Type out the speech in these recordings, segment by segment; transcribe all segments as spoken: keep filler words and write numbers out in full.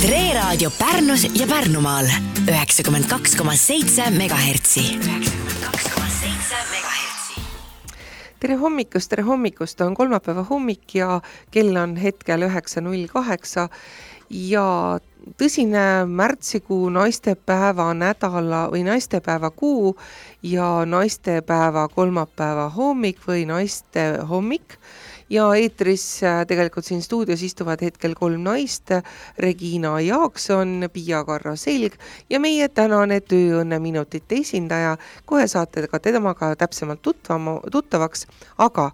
Tre Raadio Pärnus ja Pärnumaal üheksakümmend kaks koma seitse megahertsi. Tere hommikust, tere hommikust, on kolmapäeva hommik ja kell on hetkel üheksa null kaheksa ja tõsine märtsikuu naistepäeva nädala või naistepäeva kuu ja naistepäeva kolmapäeva hommik või naiste hommik. Ja eetris tegelikult siin stuudios istuvad hetkel kolm naist, Regina Jaakson, Pia-Karro Selg ja meie tänane tööõnne minutite esindaja. Kohe saate ka temaga täpsemalt tutvama, tuttavaks, aga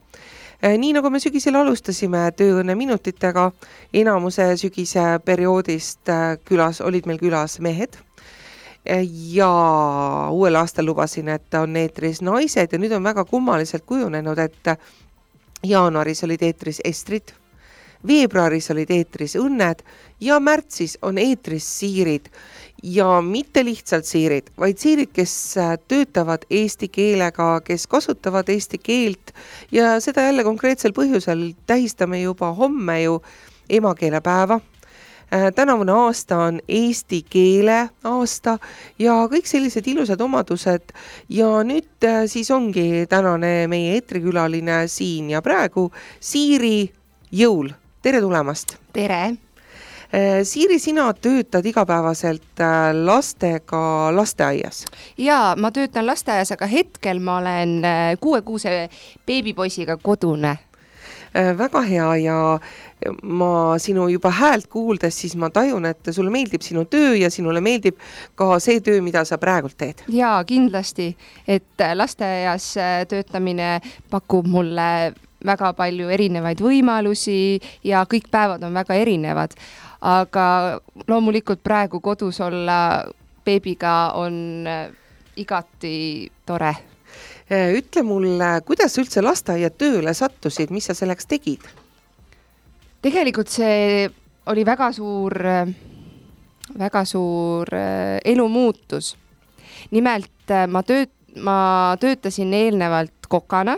nii nagu me sügisel alustasime tööõnne minutitega, enamuse sügise perioodist külas, olid meil külas mehed ja uuel aastal lubasin, et on eetris naised ja nüüd on väga kummaliselt kujunenud, et jaanuaris olid eetris Estrid, veebruaris olid eetris Õnned ja märtsis on eetris siirid ja mitte lihtsalt siirid, vaid siirid, kes töötavad eesti keelega, kes kasutavad eesti keelt ja seda jälle konkreetsel põhjusel tähistame juba homme ju emakeelepäeva. Tänavune aasta on eesti keele aasta ja kõik sellised ilusad omadused ja nüüd siis ongi tänane meie eetrikülaline siin ja praegu Siiri Jõul. Tere tulemast! Tere! Siiri, sina töötad igapäevaselt lastega lasteaias? Jaa, ma töötan lasteaias, aga hetkel ma olen kuuekuuse beebipoisiga kodune. Väga hea ja ma sinu juba häält kuuldes, siis ma tajun, et sulle meeldib sinu töö ja sinule meeldib ka see töö, mida sa praegult teed. Jaa, kindlasti, et lasteaias töötamine pakub mulle väga palju erinevaid võimalusi ja kõik päevad on väga erinevad. Aga loomulikult praegu kodus olla beebiga on igati tore. Ütle mulle, kuidas üldse lasteaia tööle sattusid, mis sa selleks tegid? Tegelikult see oli väga suur, väga suur elu muutus. Nimelt ma, tööt, ma töötasin eelnevalt kokana,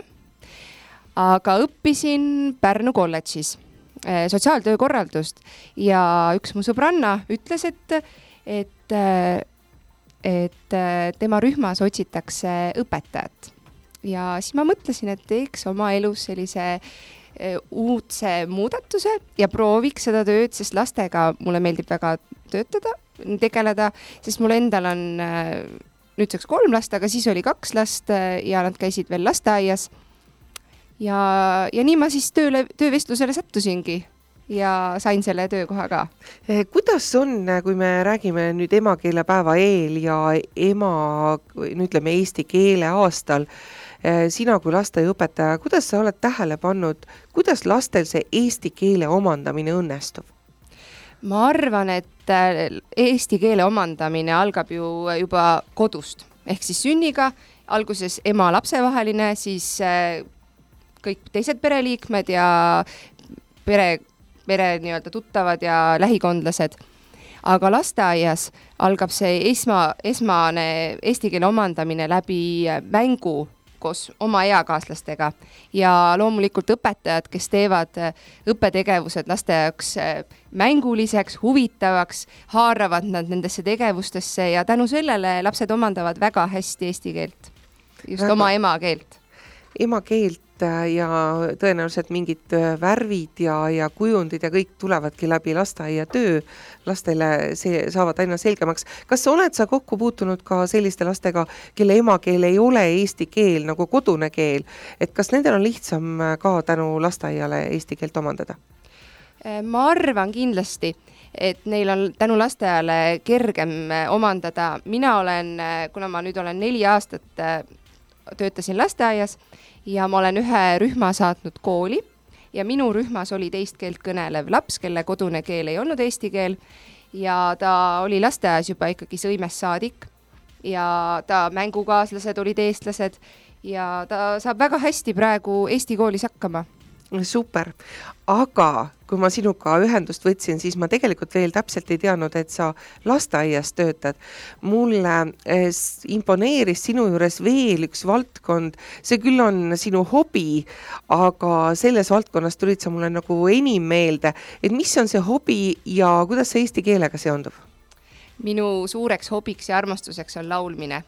aga õppisin Pärnu kolledžis sotsiaaltöö korraldust ja üks mu sõbranna ütles, et, et, et tema rühmas otsitakse õpetajat. Ja siis ma mõtlesin, et teeks oma elus sellise uudse muudatuse ja prooviks seda tööd, sest lastega mulle meeldib väga töötada, tegeleda, sest mul endal on nüüdseks kolm last, aga siis oli kaks last ja nad käisid veel lasteaias. Ja, ja nii ma siis tööle, töövestlusele sattusingi ja sain selle töökoha ka. Kuidas on, kui me räägime nüüd emakeelepäeva eel ja ema, nüüd ütleme eesti keele aastal, sina kui lasteaiaõpetaja, kuidas sa oled tähele pannud, kuidas lastel see eesti keele omandamine õnnestub? Ma arvan, et eesti keele omandamine algab ju juba kodust, ehk siis sünniga, alguses ema lapsevaheline, siis kõik teised pereliikmed ja pere, pere nii-öelda tuttavad ja lähikondlased. Aga lasteaias algab see esma, esmane eesti keele omandamine läbi mängu koos oma eakaaslastega ja loomulikult õpetajad, kes teevad õppetegevused laste jaoks mänguliseks, huvitavaks, haaravad nad nendesse tegevustesse ja tänu sellele lapsed omandavad väga hästi eesti keelt, just väga. Oma emakeelt. Emakeelt ja tõenäoliselt mingid värvid ja, ja kujundid ja kõik tulevadki läbi lasteaia töö. Lastele see saavad aina selgemaks. Kas oled sa kokku puutunud ka selliste lastega, kelle emakeel ei ole eesti keel, nagu kodune keel? Et kas nendel on lihtsam ka tänu lasteaiale eesti keelt omandada? Ma arvan kindlasti, et neil on tänu lasteaiale kergem omandada. Mina olen, kuna ma nüüd olen neli aastat töötasin lasteaias, ja ma olen ühe rühma saatnud kooli ja minu rühmas oli teist keelt kõnelev laps, kelle kodune keel ei olnud eesti keel ja ta oli lasteaias juba ikkagi sõimest saadik ja ta mängukaaslased olid eestlased ja ta saab väga hästi praegu eesti koolis hakkama. Super, aga kui ma sinuga ühendust võtsin, siis ma tegelikult veel täpselt ei teadnud, et sa lasteaias töötad. Mulle imponeeris sinu juures veel üks valdkond, see küll on sinu hobi, aga selles valdkonnas tulid sa mulle nagu enim meelde, et mis on see hobi ja kuidas see eesti keelega seondub? Minu suureks hobiks ja armastuseks on laulmine.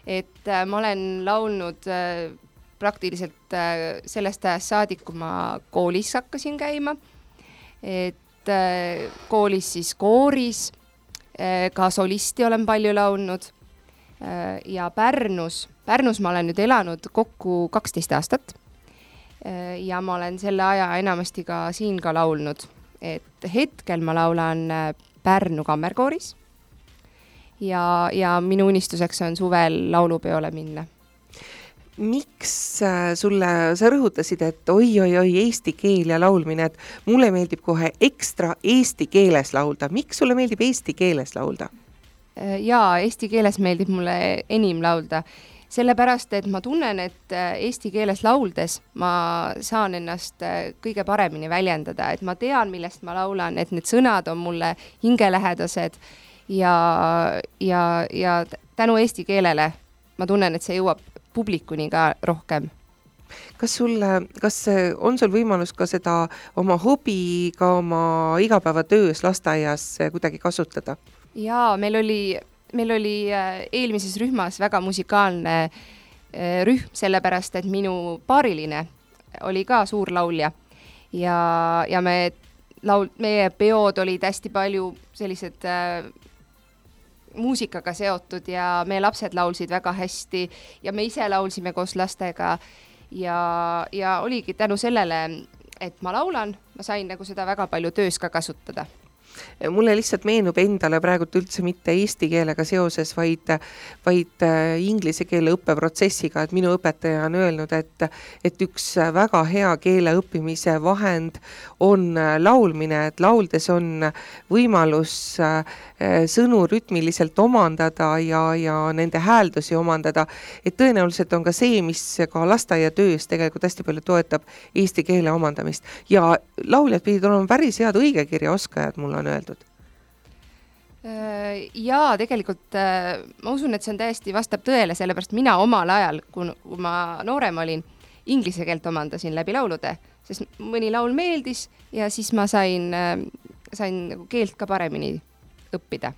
Et äh, ma olen laulnud äh, praktiliselt äh, sellest ajast saadik, kui ma koolis hakkasin käima. Et äh, koolis siis kooris, äh, ka solisti olen palju laulnud äh, ja Pärnus, Pärnus ma olen nüüd elanud kokku kaksteist aastat äh, ja ma olen selle aja enamasti ka siin ka laulnud. Et hetkel ma laulan äh, Pärnu kammerkooris. Ja, ja minu unistuseks on suvel laulupeole minna. Miks sulle, sa rõhutasid, et oi, oi, oi, eesti keel ja laulmine, et mulle meeldib kohe ekstra eesti keeles laulda. Miks sulle meeldib eesti keeles laulda? Jaa, eesti keeles meeldib mulle enim laulda. Sellepärast, et ma tunnen, et eesti keeles lauldes ma saan ennast kõige paremini väljendada. Et ma tean, millest ma laulan, et need sõnad on mulle hingelähedased. Ja, ja, ja tänu eesti keelele ma tunnen, et see jõuab publikuni ka rohkem. Kas sul, kas on sul võimalus ka seda oma hobi, ka oma igapäevatöös lasteaias kuidagi kasutada? Jaa, meil oli, meil oli eelmises rühmas väga musikaalne rühm, sellepärast, et minu paariline oli ka suur laulja ja, ja me laul, meie peod olid hästi palju sellised äh, muusikaga seotud ja meie lapsed laulsid väga hästi ja me ise laulsime koos lastega ja, ja oligi tänu sellele, et ma laulan, ma sain nagu seda väga palju töös ka kasutada. Mulle lihtsalt meenub endale praegult üldse mitte eesti keelega seoses, vaid, vaid inglise keele õppeprotsessiga, et minu õpetaja on öelnud, et, et üks väga hea keele õppimise vahend on laulmine, et lauldes on võimalus sõnu rütmiliselt omandada ja, ja nende hääldusi omandada, et tõenäoliselt on ka see, mis ka lasteaiatöös tegelikult hästi palju toetab eesti keele omandamist ja lauljad pidid olema päris head õigekirja oskajad, mul on öeldud. Jaa, tegelikult ma usun, et see on täiesti vastab tõele, sellepärast mina omal ajal, kui ma noorem olin, inglise keelt omandasin läbi laulude, sest mõni laul meeldis ja siis ma sain, sain keelt ka paremini õppida.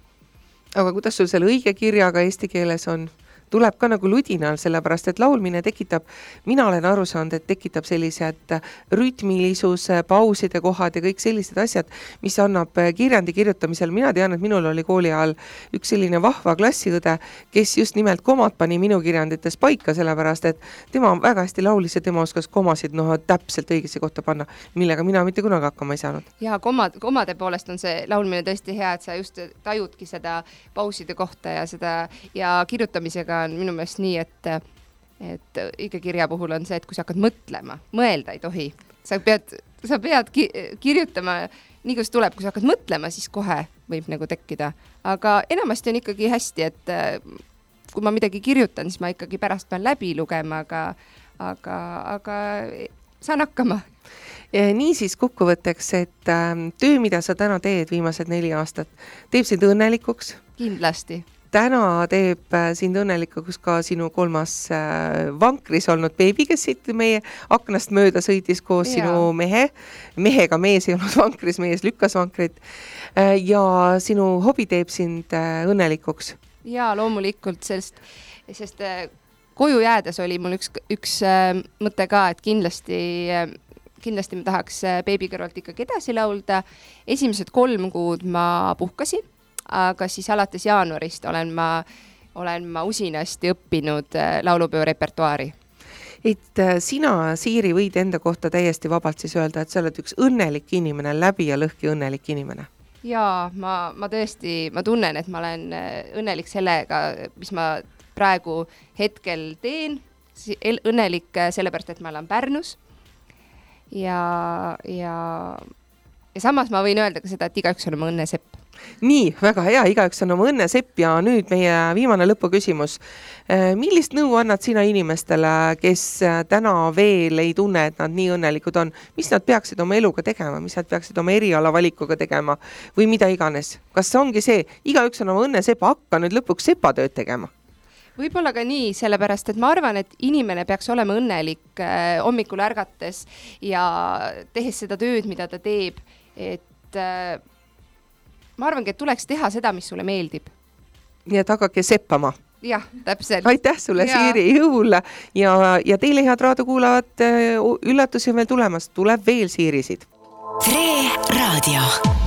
Aga kuidas sul selle õige kirjaga eesti keeles on? Tuleb ka nagu ludinal, sellepärast, et laulmine tekitab, mina olen aru saanud, et tekitab sellised rütmilisuse, pauside kohad ja kõik sellised asjad, mis annab kirjandi kirjutamisel. Mina tean, et minul oli kooli ajal üks selline vahva klassiõde, kes just nimelt komad pani minu kirjandites paika, sellepärast, et tema väga hästi laulis ja tema oskas komasid no, täpselt õigesse kohta panna, millega mina mitte kunagi hakkama ei saanud. Ja komad, komade poolest on see laulmine tõesti hea, et sa just tajudki seda pauside kohta ja, seda, ja kirjutamisega on minu meelest nii, et, et õige kirja puhul on see, et kui sa hakkad mõtlema, mõelda ei tohi. Sa pead, sa pead ki- kirjutama nii, kus tuleb, kui sa hakkad mõtlema, siis kohe võib nagu tekkida. Aga enamasti on ikkagi hästi, et kui ma midagi kirjutan, siis ma ikkagi pärast pean läbi lugema, aga, aga, aga saan hakkama. Nii siis kokkuvõtteks, et töö, mida sa täna teed viimased neli aastat, teeb sind õnnelikuks? Kindlasti. Täna teeb sind õnnelikuks ka sinu kolmas vankris olnud beebi, kes siit meie aknast mööda sõitis koos ja. Sinu mehe. Mehega mees ei olnud vankris, mees lükkas vankrit. Ja sinu hobi teeb sind õnnelikuks. Jaa, loomulikult, sest, sest koju jäädes oli mul üks, üks mõte ka, et kindlasti, kindlasti ma tahaks beebi kõrvalt ikkagi edasi laulda. Esimesed kolm kuud ma puhkasin. Aga siis alates jaanuarist olen ma, olen ma usinasti õppinud laulupeo repertuaari. Et sina, Siiri, võid enda kohta täiesti vabalt siis öelda, et sa oled üks õnnelik inimene, läbi ja lõhki õnnelik inimene. Jaa, ma, ma tõesti, ma tunnen, et ma olen õnnelik sellega, mis ma praegu hetkel teen. Õnnelik sellepärast, et ma olen Pärnus ja, ja ja samas ma võin öelda ka seda, et igaüks on oma õnne sepp. Nii, väga hea, igaüks on oma õnne sepp ja nüüd meie viimane lõpuküsimus. Millist nõu annad sina inimestele, kes täna veel ei tunne, et nad nii õnnelikud on? Mis nad peaksid oma eluga tegema, mis nad peaksid oma eriala valikuga tegema või mida iganes? Kas ongi see, igaüks on oma õnne sepp, hakka nüüd lõpuks sepatööd tegema? Võib-olla ka nii, sellepärast, et ma arvan, et inimene peaks olema õnnelik äh, hommikul ärgates ja tehes seda tööd, mida ta teeb, et äh, ma arvangi, et tuleks teha seda, mis sulle meeldib. Nii et hakake seppama. Jah, täpselt. Aitäh sulle, ja. Siiri, jõul ja, ja teile head raadiokuulavad üllatusi on veel tulemas, tuleb veel Siirisid. Tre Raadio.